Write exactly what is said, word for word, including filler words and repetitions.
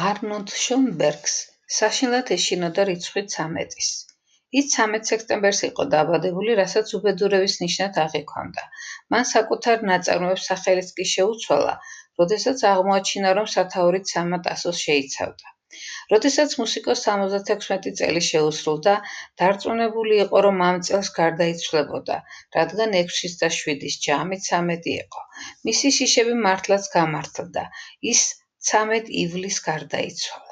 არნოლდ შონბერგს საშინლად ეშინოდა რიცხვი ცამეტის. ის ცამეტ სექტემბერს იყო დაბადებული, რასაც უბედურების ნიშნად აღიქვამდა. მან საკუთარ ნაწარმოებს სახელიც კი შეუცვალა, როდესაც აღმოაჩინა, რომ სათაურით ცამეტ ასოს შეიცავდა. როდესაც მუსიკოს სამოცდათექვსმეტი წელი შეუსრულდა, დარწმუნებული იყო, რომ ამ წელს გარდაიცვლებოდა, რადგან ექვსის და შვიდის ჯამი ცამეტი იყო. მისი შიშები მართლაც გამართლდა. ის ცამეტ ივლისს გარდაიცვალა.